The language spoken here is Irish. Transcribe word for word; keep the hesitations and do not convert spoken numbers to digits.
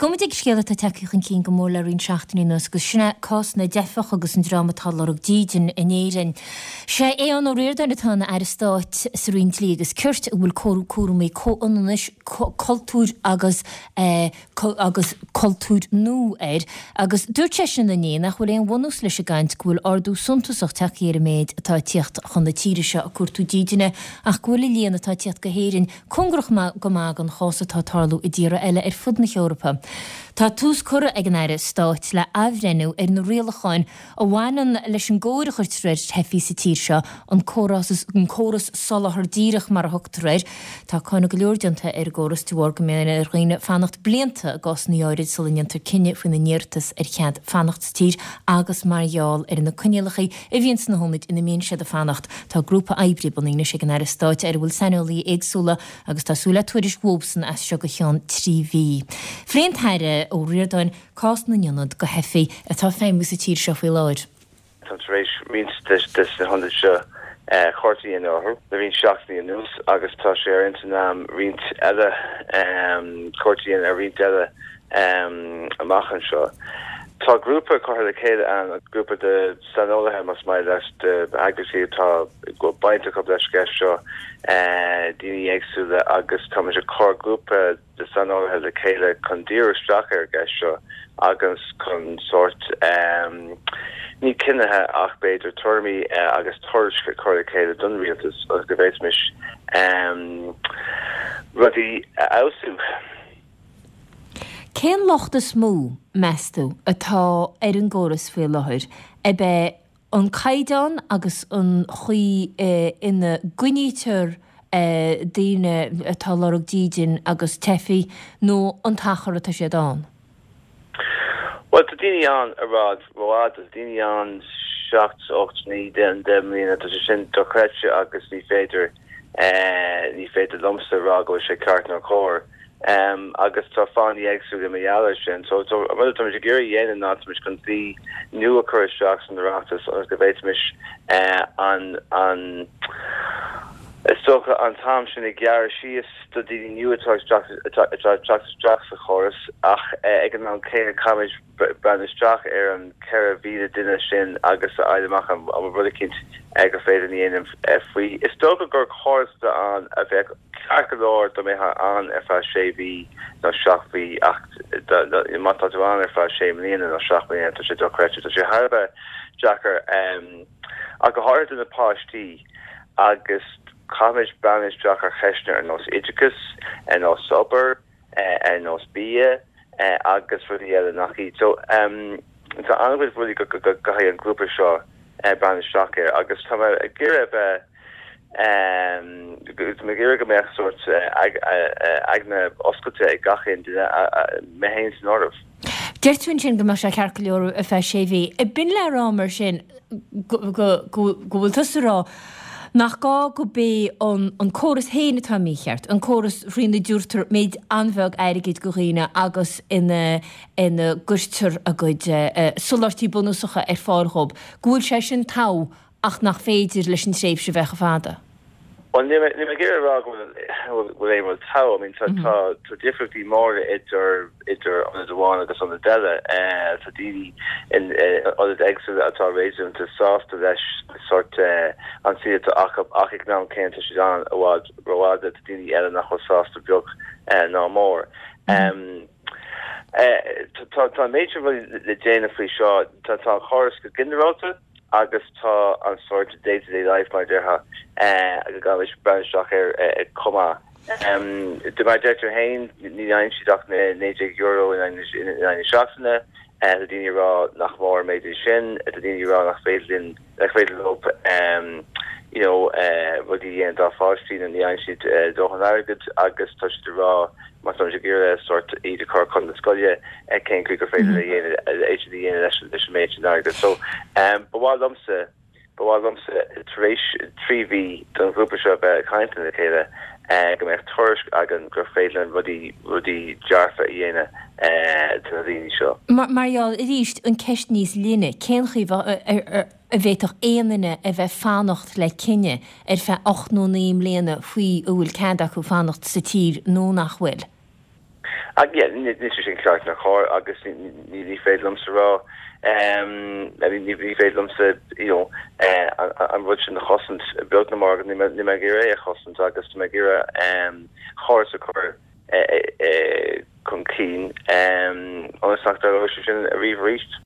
Gabhfaidh muid ag scéal atá tagtha chun cinn go mór le roinnt seachtainí anuas agus sin é cás na dteifeach agus an dream atá ag lorg dídean in Éirinn. Sé Aodhán Ó Ríordáin atá ina Aire Stáit sa Roinn Dlí agus Cirt a bhfuil cúraimí comhionannais, cultúir agus agus cultúir nua air agus dúirt seisean inné nach bhfuil aon bhunús leis an gcaint go bhfuil ardú suntasach tagtha ar an méid atá ag tíocht chun na tíre seo ag cuartú dídine ach go bhfuil an líon atá ag tíocht go hÉirinn cóngarach go maith don chás atá ag tarlú i dtíortha eile ar fud na hEorpa. Tá tús curtha ag an Aire Stáit le athbhreithniú ar na rialacháin a bhaineann leis an gcóir a chuirtear ar theifigh sa tír seo, an córas an córas soláthar díreach mar a thugtar air. Tá cáineadh go leor déanta ar an gcóras de bharr go mbíonn ar dhaoine fanacht blianta i gcásanna áirid sula ndéantar cinneadh faoina n-iarratas ar chead fanacht sa tír agus mar gheall ar na coinníollacha a bhíonn sna hionaid ina mbíonn siad ag fanacht. Tá grúpa oibre bunaithe anois ag an Aire Stáit ar a bhfuil saineolaithe éagsúla agus tá súil le tuairisc uathsan as seo go ceann trí mhí. Phléigh an tAire Ó Ríordáin cás na n-ionad do theifigh atá ag feidhmiú sa tír seo faoi láthair. Táim tar éis roinnt de na hionaid seo cuairt a dhéanamh orthu le roinnt seachtainí anuas agus tá sé ar intinn agam roinnt eile cuairt a dhéanamh ar roinnt eile amach anseo. Tá grúpa curtha le chéile ann, grúpa de saineolaithe más maith leat, de eagraíochtaí atá go baint acu leis an gceist seo, daoine éagsúla agus táimid ag cur grúpa de saineolaithe le chéile chun díriú isteach ar an gceist seo agus chun sórt ní cinnithe ach b'fhéidir tuairimí agus tuairisc a chur le chéile don rialtas agus go bhféadfaimis rudaí a fheabhsú. Cén locht is mó, meas tú, atá ar an gcóras faoi láthair? Ab é an caighdeán agus an chaoi ina gcoinnítear daoine atá ag lorg dídin agus teifigh nó an t-achar atá siad ann? Bhuel, tá daoine ann i bhfad rófhada, tá daoine ann seacht, ocht, naoi, deich mbliana, tá sé sin dochreidte agus ní féidir, ní féidir liomsa a rá go bhfuil sé ceart nó cóir. Agus tá fáthanna éagsúla mar gheall air sin. So an rud atáimid ag iarraidh a dhéanamh ná táimid chun dlí nua a chur isteach san Oireachtas ionas go bhféadfaimis an an is dócha an t-am sin a ghearradh síos do daoine nua atá ag teacht isteach sa chóras ach ag an am céanna caithfimid breathnú isteach ar an ceithre mhíle duine sin agus a fháil amach an bhfuil rud eicínt gur féidir a dhéanamh faoi. Is dócha gur córas atá ann a bheadh ceart go leor dá mbeifeá ann ar feadh sé mhí nó seacht mhí ach má tá tú ann ar feadh sé mbliana nó seacht mbliana tá sé dochreidte. Tá sé thar a bheith deacair ach go háirithe do na páistí agus caithfimid breathnú isteach ar cheisteanna ar nós oideachas, ar nós obair, ar nós bia agus rudaí eile nach iad. So tá an-chuid rudaí go gcaithfidh an grúpa seo breathnú isteach air agus tá mé ag iarraidh a bheith tá mé ag iarraidh go mbeadh sórt aigne oscailte ag gach aon duine, mé féin san áireamh. Deir tú ansin go mbeadh sé ceart go leor ar feadh sé mhí. B'in le rá mar sin go bhfuil tusa ag rá nach gá go b'é an córas féin atá mícheart, an córas thrína dtabhartar méid an-bheag airgid go dhaoine agus ina ina gcuirtear a gcuid soláthairtí bunúsacha ar fáil dhóibh, go bhfuil sé sin togha ach nach féidir leis an tréimhse bheith chomh fada. Bhuel, níl mé ag iarraidh a rá go bhfuil aon rud togha. I mean, tá tá difríochtaí móra idir idir ionad amháin agus ionad eile. Tá daoine in ionaid éagsúla atá réasúnta sásta leis sórt an saol atá acu ach ag an am céanna tá siad ann i bhfad rófhada. Tá daoine eile nach bhfuil sásta beag ná mór. Tá tá an méid sin rudaí le déanamh faoi seo. Tá tá an córas go ginearálta. agus tá an sórt day to day life mar a déarfá go gcaithfimid breathnú isteach air chomh maith. De mar a deirtear féin, ní fhaigheann siad ach naoi déag euro in aghaidh na seachtaine, tá daoine ag rá nach mór an méid é sin, tá daoine ag rá nach féidir linn, nach féidir leo you know rudaí a dhéanamh dá pháistí nó ní fhaigheann siad dóthain airgid agus tá siad ag rá má táimid ag iarraidh sórt iad a chur chun na scoile, cén chaoi gur féidir é a dhéanamh leis an méid sin airgid. So, ba mhaith liomsa, ba mhaith liomsa tar éis trí mhí don ghrúpa seo a bheith ag caint lena chéile, go mbeadh tuairisc againn gur féidir linn rudaí, rudaí dearfa a dhéanamh do na daoine seo. Mar gheall, arís, an ceist níos leithne, cén chaoi a bhféadfadh aon duine a bheith fanacht le cinneadh ar feadh ocht nó naoi mbliana faoi an bhfuil cead acu fanacht sa tír nó nach bhfuil? Ach yeah, níl sé sin ceart ná cóir agus ní féidir liomsa rá ní féidir liomsa you know, eh, an rud sin a chosaint beag ná mór ní mé ag iarraidh é a chosaint agus mé ag iarraidh córas a chur eh, eh, chun cinn ionas nach dtarlóidh sé sin arís arís.